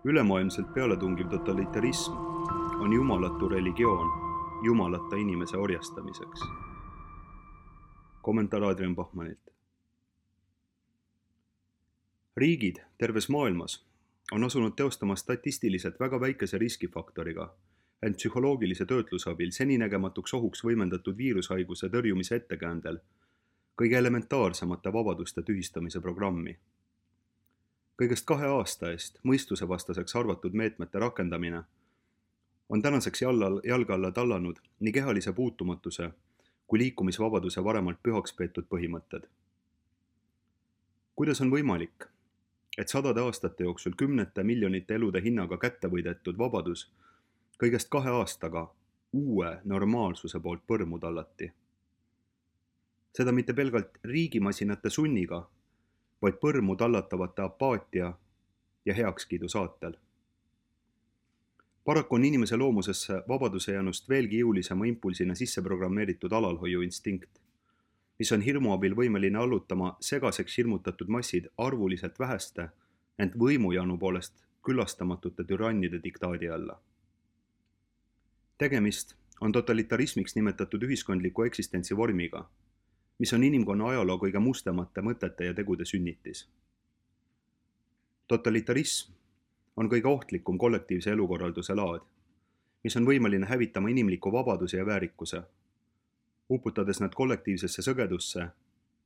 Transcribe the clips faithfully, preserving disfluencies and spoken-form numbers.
Ülemaailmselt pealetungiv totalitarism on jumalatu religioon jumalata inimese orjastamiseks. Kommentaar Adrian Bachmanilt. Riigid terves maailmas on asunud teostama statistiliselt väga väikese riskifaktoriga, ent psühholoogilise töötluse abil seninägematuks ohuks võimendatud viirushaiguse tõrjumise ettekäändel kõige elementaarsemate vabaduste tühistamise programmi. Kõigest kahe aasta eest mõistusevastaseks arvatud meetmete rakendamine on tänaseks jalga alla tallanud nii kehalise puutumatuse kui liikumisvabaduse varemalt pühaks peetud põhimõtted. Kuidas on võimalik, et sadade aastate jooksul kümnete miljonite elude hinnaga kätte võidetud vabadus kõigest kahe aastaga uue normaalsuse poolt põrmu tallati? Seda mitte pelgalt riigimasinate sunniga, vaid põrmu tallatavate apaatia ja heakskiidu saatel. Paraku on inimese loomusesse vabaduse jäänust veelgi jõulisema impulsina sisse programmeeritud alalhoiu instinkt, mis on hirmu abil võimeline allutama segaseks hirmutatud massid arvuliselt väheste, ent võimujanu poolest küllastamatute türannide diktaadi alla. Tegemist on totalitarismiks nimetatud ühiskondliku eksistentsi vormiga, mis on inimkonna ajaloo kõige mustemate mõtete ja tegude sünnitis. Totalitarism on kõige ohtlikum kollektiivse elukorralduse laad, mis on võimeline hävitama inimliku vabaduse ja väärikuse, uputades nad kollektiivsesse sõgedusse,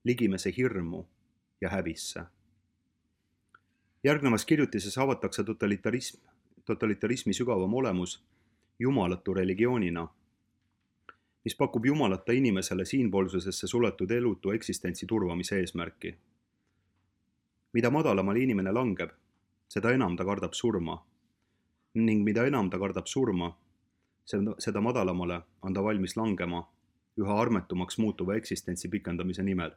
ligimese hirmu ja häbisse. Järgnevas kirjutises avatakse totalitarism, totalitarismi sügavam olemus jumalatu religioonina, mis pakub jumalata inimesele siinpoolsusesse suletud elutu eksistentsi turvamise eesmärki. Mida madalamale inimene langeb, seda enam ta kardab surma, ning mida enam ta kardab surma, seda madalamale on ta valmis langema üha armetumaks muutuva eksistentsi pikendamise nimel.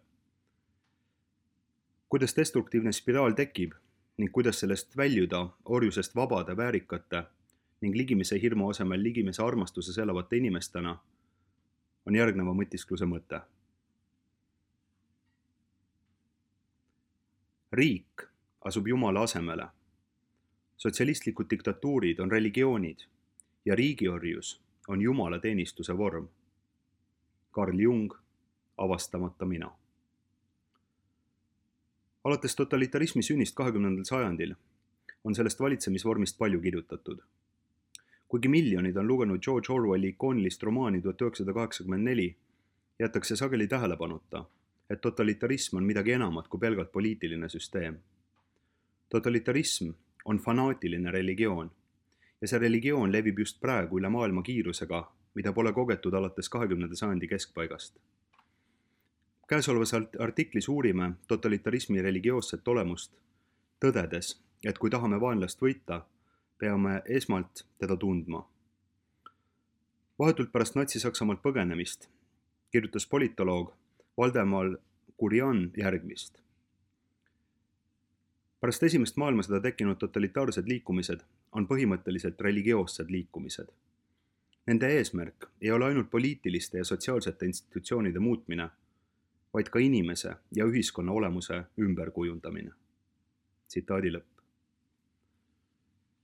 Kuidas destruktiivne spiraal tekib ning kuidas sellest väljuda orjusest vabade, väärikate ning ligimise hirmu asemel ligimise armastuses elavate inimestena, on järgneva mõtiskluse mõte. Riik asub Jumala asemele. Sotsialistlikud diktatuurid on religioonid ja riigiorjus on Jumala teenistuse vorm. Carl Jung, avastamata mina. Alates totalitarismi sünnist kahekümnendal sajandil on sellest valitsemisvormist palju kirjutatud. Kuigi miljonid on lugenud George Orwelli ikoonilist romaani tuhat üheksasada kaheksakümmend neli, jätakse sageli tähelepanuta, et totalitarism on midagi enamat kui pelgalt poliitiline süsteem. Totalitarism on fanaatiline religioon ja see religioon levib just praegu üle maailma kiirusega, mida pole kogetud alates kahekümnenda sajandi keskpaigast. Käesolevas artiklis uurime totalitarismi religioosset olemust, tõdedes, et kui tahame vaenlast võita, peame esmalt teda tundma. Vahetult pärast Natsi-Saksamaalt põgenemist kirjutas politoloog Valdemar Gurian järgmist. Pärast esimest maailmasõda tekkinud totalitaarsed liikumised on põhimõtteliselt religioossed liikumised. Nende eesmärk ei ole ainult poliitiliste ja sotsiaalsete institutsioonide muutmine, vaid ka inimese ja ühiskonna olemuse ümberkujundamine. Tsitaadi lõpp.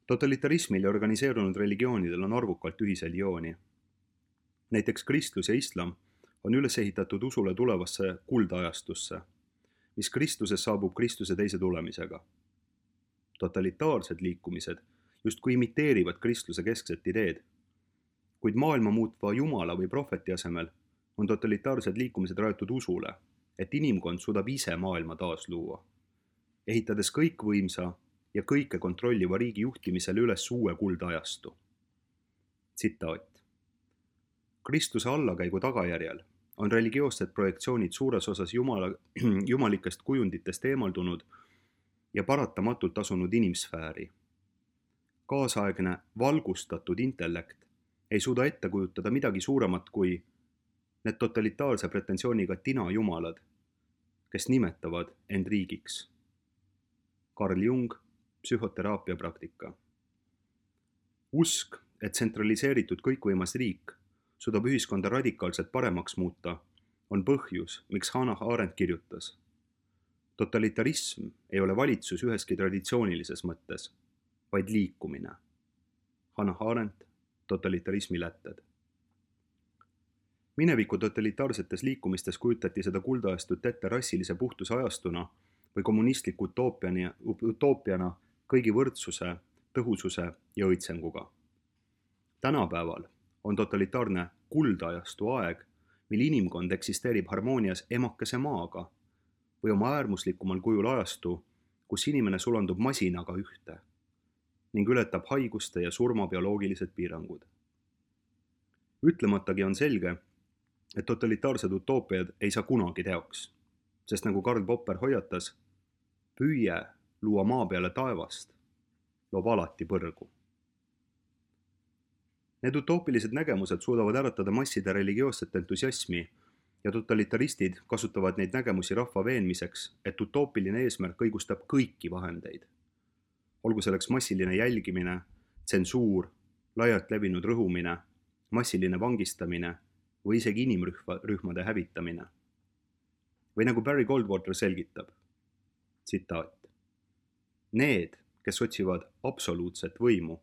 Totalitarismil ja organiseerunud religioonidel on arvukalt ühisel jooni. Näiteks kristlus ja islam on üles ehitatud usule tulevasse kuldajastusse, mis Kristuses saabub Kristuse teise tulemisega. Totalitaarsed liikumised justkui imiteerivad kristluse keskset ideed, kuid maailma muutva jumala või prohveti asemel on totalitaarsed liikumised rajatud usule, et inimkond suudab ise maailma taas luua, ehitades kõikvõimsa ja kõike kontrolliva riigi juhtimisele üles uue kuldajastu. Tsitaat. Kristuse allakäigu tagajärjel on religioossed projektsioonid suures osas jumala, jumalikest kujunditest eemaldunud ja paratamatult asunud inimsfääri. Kaasaegne valgustatud intellekt ei suuda ette kujutada midagi suuremat kui need totalitaarse pretensiooniga tina jumalad, kes nimetavad end riigiks. Carl Jung, psühhoteraapia praktika. Usk, et tsentraliseeritud kõikvõimas riik suudab ühiskonda radikaalselt paremaks muuta, on põhjus, miks Hannah Arendt kirjutas. Totalitarism ei ole valitsus üheski traditsioonilises mõttes, vaid liikumine. Hannah Arendt, Totalitarismi lätted. Mineviku totalitaarsetes liikumistes kujutati seda kuldajastut ette rassilise puhtuse ajastuna või kommunistliku utoopiana, utoopiana kõigi võrdsuse, tõhususe ja õitsenguga. Tänapäeval on totalitaarne kuldajastu aeg, mil inimkond eksisteerib harmoonias emakese maaga või oma äärmuslikumal kujul ajastu, kus inimene sulandub masinaga ühte ning ületab haiguste ja surma bioloogilised piirangud. Ütlematagi on selge, et totalitaarsed utoopiad ei saa kunagi teoks, sest nagu Karl Popper hoiatas, püüe luua maa peale taevast loob alati põrgu. Need utoopilised nägemused suudavad äratada masside religioosset entusiasmi ja totalitaristid kasutavad neid nägemusi rahva veenmiseks, et utoopiline eesmärk õigustab kõiki vahendeid. Olgu selleks massiline jälgimine, tsensuur, laialt levinud rõhumine, massiline vangistamine või isegi inimrühmade hävitamine. Või nagu Barry Goldwater selgitab, tsitaat. Need, kes otsivad absoluutset võimu,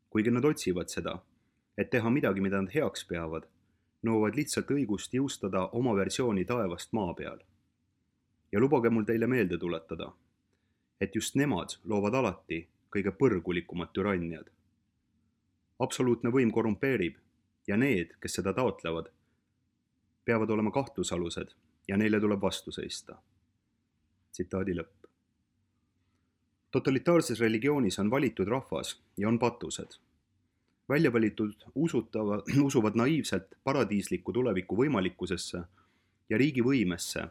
kuigi nad otsivad seda, et teha midagi, mida nad heaks peavad, nõuavad lihtsalt õigust jõustada oma versiooni taevast maa peal. Ja lubage mul teile meelde tuletada, et just nemad loovad alati kõige põrgulikumad türanniad. Absoluutne võim korrumpeerib ja need, kes seda taotlevad, peavad olema kahtlusalused ja neile tuleb vastu seista. Tsitaadi lõpp. Totalitaarses religioonis on valitud rahvas ja on patused. Välja valitud usutava, usuvad naiivselt paradiisliku tuleviku võimalikkusesse ja riigi võimesse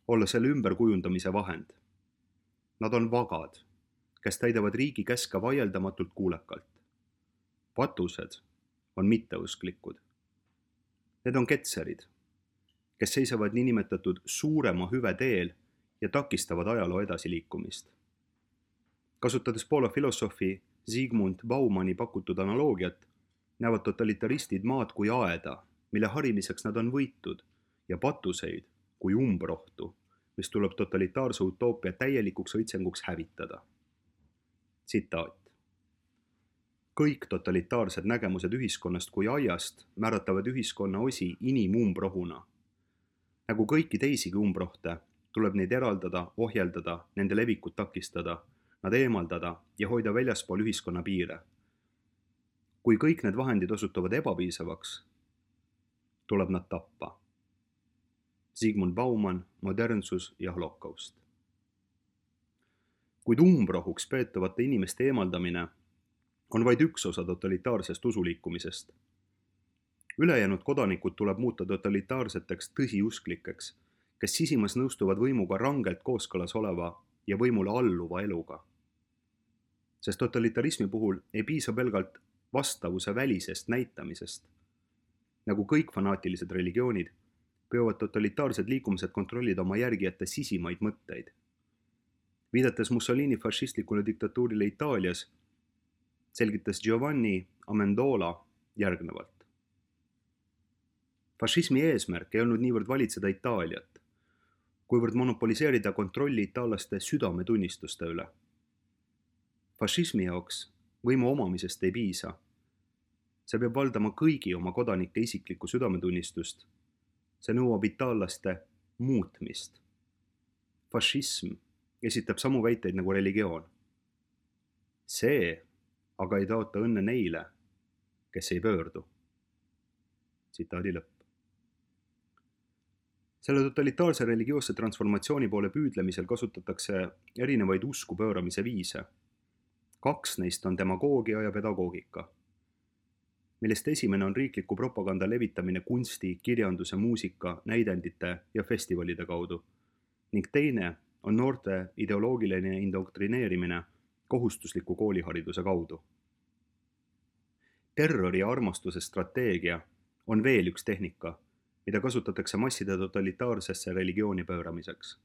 olla selle ümberkujundamise vahend. Nad on vagad, kes täidavad riigi käske vaieldamatult kuulekalt. Patused on mitteusklikud. Need on ketserid, kes seisavad niinimetatud suurema hüve teel ja takistavad ajaloo edasiliikumist. Kasutades Poola filosoofi Zygmunt Baumanni pakutud analoogiat, näevad totalitaristid maad kui aeda, mille harimiseks nad on võitud, ja patuseid kui umbrohtu, mis tuleb totalitaarse utoopia täielikuks õitsenguks hävitada. Tsitaat. Kõik totalitaarsed nägemused ühiskonnast kui aiast määratavad ühiskonna osi inimumbrohuna. Nagu kõiki teisigi umbrohte, tuleb neid eraldada, ohjeldada, nende levikut takistada, nad eemaldada ja hoida väljaspool ühiskonna piire. Kui kõik need vahendid osutuvad ebapiisavaks, tuleb nad tappa. Zygmunt Baumann, Modernsus ja holokaust. Kuid umbrohuks peetavate inimeste eemaldamine on vaid üks osa totalitaarsest usuliikumisest. Ülejäänud kodanikud tuleb muuta totalitaarseteks tõsiusklikeks, kes sisimas nõustuvad võimuga rangelt kooskõlas oleva ja võimule alluva eluga. Sest totalitarismi puhul ei piisa pelgalt vastavuse välisest näitamisest. Nagu kõik fanaatilised religioonid, püüavad totalitaarsed liikumised kontrollida oma järgijate sisimaid mõtteid. Viidates Mussolini fašistlikule diktatuurile Itaalias, selgitas Giovanni Amendola järgnevalt. Fašismi eesmärk ei olnud niivõrd valitseda Itaaliat, kuivõrd monopoliseerida kontrolli itaallaste südametunnistuste üle. Fašismi jaoks võimu omamisest ei piisa. See peab valdama kõigi oma kodanike isiklikku südametunnistust. See nõuab itaallaste muutmist. Fašism esitab samu väiteid nagu religioon. See aga ei taota õnne neile, kes ei pöördu. Tsitaadi lõpp. Selle totalitaarse religioosse transformatsiooni poole püüdlemisel kasutatakse erinevaid usku pööramise viise. Kaks neist on demagoogia ja pedagoogika, millest esimene on riikliku propaganda levitamine kunsti, kirjanduse, muusika, näidendite ja festivalide kaudu, ning teine on noorte ideoloogiline indoktrineerimine kohustusliku koolihariduse kaudu. Terrori ja armastuse strateegia on veel üks tehnika, mida kasutatakse masside totalitaarsesse religiooni pööramiseks.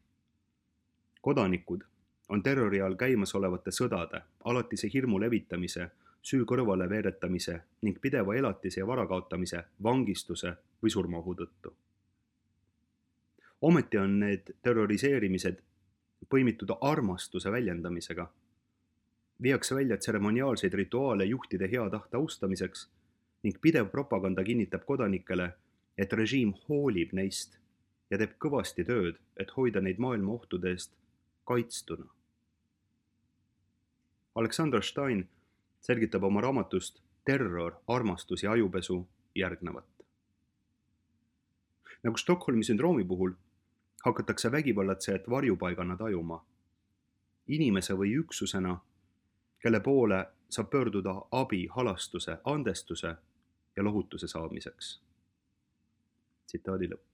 Kodanikud on terrori all käimasolevate sõdade, alatise hirmu levitamise, süü kõrvale veeretamise ning pideva elatise ja vara kaotamise, vangistuse või surmaohu tõttu. Ometi on need terroriseerimised põimitud armastuse väljendamisega. viiakse välja tseremoniaalseid rituaale juhtide hea tahte austamiseks ning pidev propaganda kinnitab kodanikele, et režiim hoolib neist ja teeb kõvasti tööd, et hoida neid maailma ohtude eest kaitstuna. Alexander Stein selgitab oma raamatust Terror, armastus ja ajupesu järgnevat. Nagu Stockholmi sündroomi puhul hakatakse vägivallatsejat varjupaigana tajuma, inimese või üksusena, kelle poole saab pöörduda abi, halastuse, andestuse ja lohutuse saamiseks. Tsitaadi lõpp.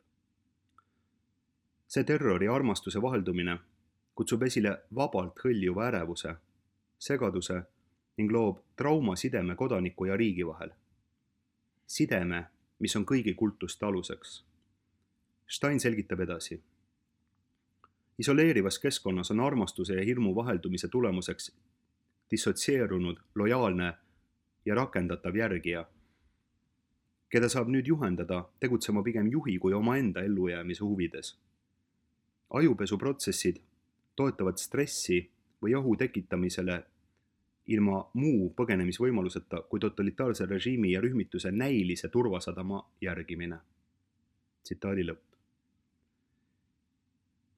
See terrori ja armastuse vaheldumine kutsub esile vabalt hõljuva ärevuse, segaduse ning loob traumasideme kodaniku ja riigi vahel. Sideme, mis on kõigi kultuste aluseks. Stein selgitab edasi. Isoleerivas keskkonnas on armastuse ja hirmu vaheldumise tulemuseks dissotsieerunud, lojaalne ja rakendatav järgija, keda saab nüüd juhendada tegutsema pigem juhi kui omaenda ellujäämise huvides. Ajupesuprotsessid toetavad stressi või ohu tekitamisele ilma muu põgenemisvõimaluseta kui totalitaarse režiimi ja rühmituse näilise turvasadama järgimine. Tsitaadi lõpp.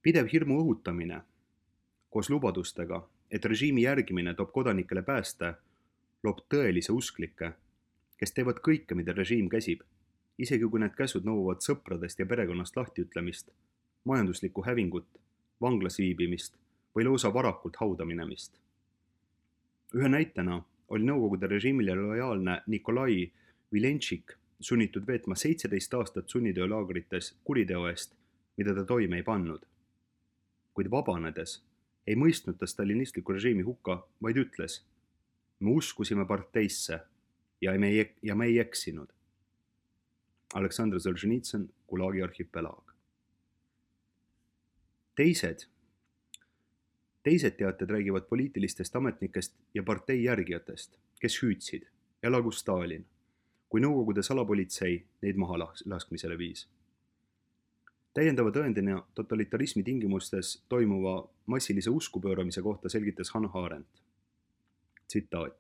Pidev hirmu õhutamine koos lubadustega, et režiimi järgimine toob kodanikele pääste, loob tõelise usklikke, kes teevad kõike, mida režiim käsib, isegi kui need käsud nõuavad sõpradest ja perekonnast lahtiütlemist, majanduslikku hävingut, vanglas viibimist või lausa varakult hauda minemist. Ühe näitena oli Nõukogude režiimile lojaalne Nikolai Vilenšik sunnitud veetma seitseteist aastat sunnitöölaagrites kuriteo eest, mida ta toime ei pannud. Kuid vabanedes ei mõistnud ta stalinistliku režiimi hukka, vaid ütles, me uskusime parteisse ja me ei, ja me ei eksinud. Aleksandr Solženitsõn, Gulagi arhipelaag. Teised, teised teated räägivad poliitilistest ametnikest ja partei järgijatest, kes hüüdsid, elagu Stalin, kui Nõukogude salapolitsei neid maha laskmisele viis. Täiendava tõendina totalitarismi tingimustes toimuva massilise uskupööramise kohta selgitas Hannah Arendt. Tsitaat.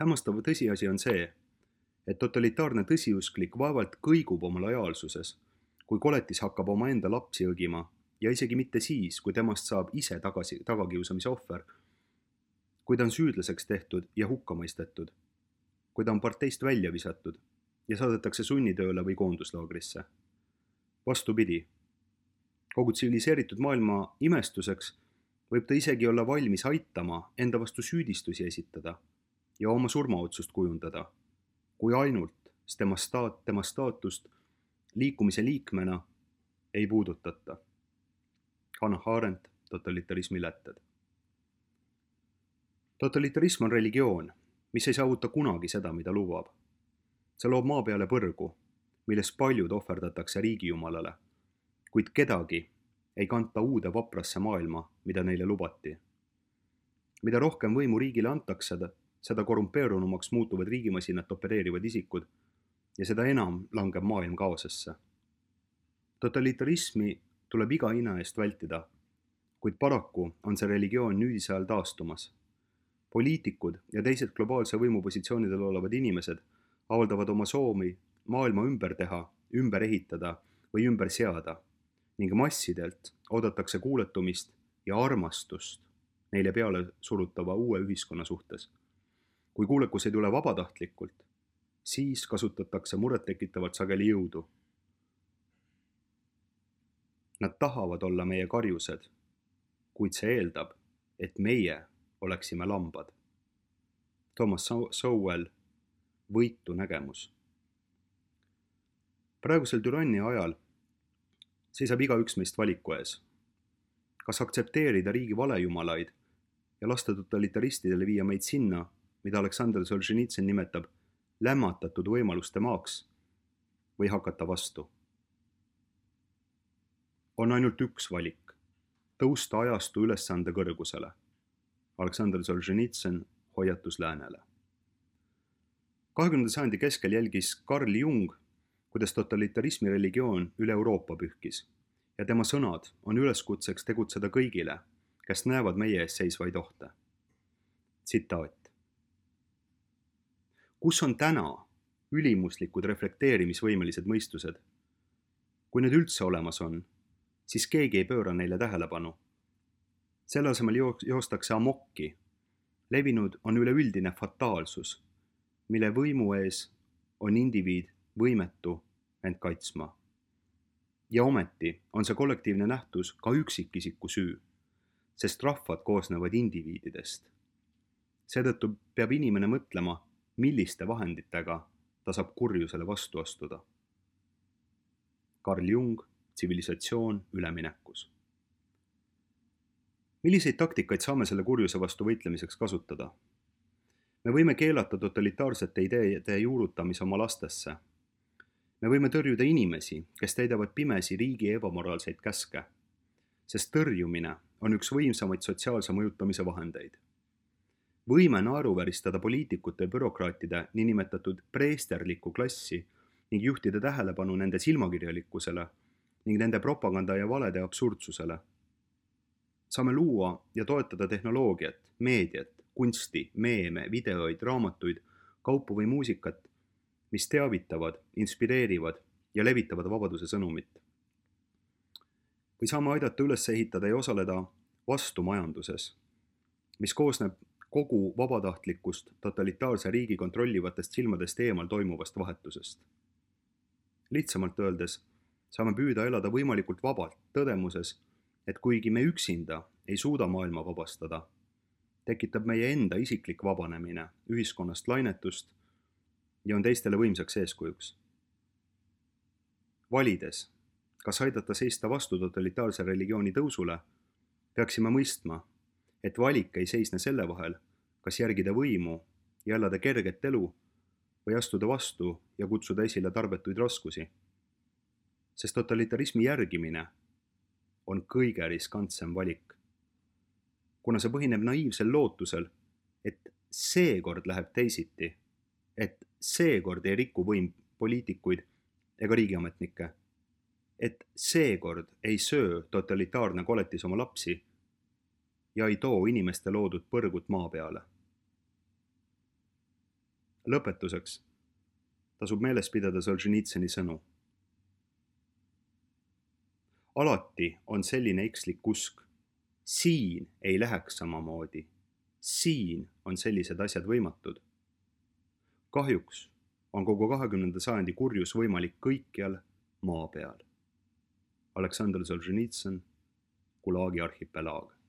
Hämmastav tõsiasi on see, et totalitaarne tõsiusklik vaevalt kõigub oma lojaalsuses, kui koletis hakkab omaenda lapsi õgima ja isegi mitte siis, kui temast saab ise tagasi, tagakiusamise ohver, kui ta on süüdlaseks tehtud ja hukka mõistetud, kui ta on parteist välja visatud ja saadetakse sunnitööle või koonduslaagrisse. Vastupidi, kogu tsiviliseeritud maailma imestuseks võib ta isegi olla valmis aitama enda vastu süüdistusi esitada ja oma surmaotsust kujundada, kui ainult tema, staat, tema staatust liikumise liikmena ei puudutata. Hannah Arendt, totalitarismi lätted. Totalitarism on religioon, mis ei saavuta kunagi seda, mida lubab. See loob maa peale põrgu, milles paljud ohverdatakse riigijumalale, kuid kedagi ei kanta uude vaprasse maailma, mida neile lubati. Mida rohkem võimu riigile antakse, seda korrumpeerunumaks muutuvad riigimasinat opereerivad isikud ja seda enam langeb maailm kaosesse. Totalitarismi tuleb iga hinna eest vältida, kuid paraku on see religioon nüüdise ajal taastumas. Poliitikud ja teised globaalse võimupositsioonidel olevad inimesed avaldavad oma soomi maailma ümber teha, ümber ehitada või ümber seada ning massidelt oodatakse kuuletumist ja armastust neile peale surutava uue ühiskonna suhtes. Kui kuulekus ei tule vabatahtlikult, siis kasutatakse murettekitavalt sageli jõudu. Nad tahavad olla meie karjused, kuid see eeldab, et meie oleksime lambad. Thomas Sowell, võitu nägemus. Praegusel türannia ajal seisab igaüks meist valiku ees. Kas aktsepteerida riigi valejumalaid ja lasta totalitaristidele viia meid sinna, mida Alexander Solženitsõn nimetab lämmatatud võimaluste maaks, või hakata vastu. On ainult üks valik, tõusta ajastu ülesande kõrgusele. Alexander Solženitsõn, hoiatus läänele. kahekümnenda sajandi keskel jälgis Carl Jung, kuidas totalitarismi religioon üle Euroopa pühkis ja tema sõnad on üleskutseks tegutseda kõigile, kes näevad meie ees seisvaid ohte. tsitaat. Kus on täna ülimuslikud reflekteerimisvõimelised mõistused? Kui need üldse olemas on, siis keegi ei pööra neile tähelepanu. Selle asemel joostakse amokki. Levinud on üleüldine fataalsus, mille võimu ees on indiviid võimetu end kaitsma. Ja ometi on see kollektiivne nähtus ka üksikisiku süü, sest rahvad koosnevad indiviididest. Seetõttu peab inimene mõtlema, milliste vahenditega ta saab kurjusele vastu astuda. Carl Jung, tsivilisatsioon üleminekus. Milliseid taktikaid saame selle kurjuse vastu võitlemiseks kasutada? Me võime keelata totalitaarsete ideede juurutamise oma lastesse. Me võime tõrjuda inimesi, kes täidavad pimesi riigi ebamoraalseid käske, sest tõrjumine on üks võimsamaid sotsiaalse mõjutamise vahendeid. Võime naeruväristada poliitikute ja bürokraatide niinimetatud preesterlikku klassi ning juhtida tähelepanu nende silmakirjalikkusele ning nende propaganda ja valede absurdsusele. Saame luua ja toetada tehnoloogiat, meediat, kunsti, meeme, videoid, raamatuid, kaupu või muusikat, mis teavitavad, inspireerivad ja levitavad vabaduse sõnumit. Või saame aidata üles ehitada ja osaleda vastumajanduses, mis koosneb kogu vabatahtlikust totalitaarse riigi kontrollivatest silmadest eemal toimuvast vahetusest. Lihtsamalt öeldes saame püüda elada võimalikult vabalt tõdemuses, et kuigi me üksinda ei suuda maailma vabastada, tekitab meie enda isiklik vabanemine ühiskonnast lainetust ja on teistele võimsaks eeskujuks. Valides, kas aidata seista vastu totalitaarse religiooni tõusule, peaksime mõistma, et valik ei seisne selle vahel, kas järgida võimu ja elada kerget elu või astuda vastu ja kutsuda esile tarbetuid raskusi. Sest totalitarismi järgimine on kõige riskantsem valik, kuna see põhineb naiivsel lootusel, et seekord läheb teisiti, et seekord ei riku võim poliitikuid ega riigiametnikke, et seekord ei söö totalitaarne koletis oma lapsi ja ei too inimeste loodud põrgut maa peale. Lõpetuseks tasub meeles pidada Solženitsõni sõnu. Alati on selline ekslik usk, siin ei läheks samamoodi, siin on sellised asjad võimatud. Kahjuks on kogu kahekümnenda sajandi kurjus võimalik kõikjal maa peal. Aleksandr Solženitsõn, Gulagi arhipelaag.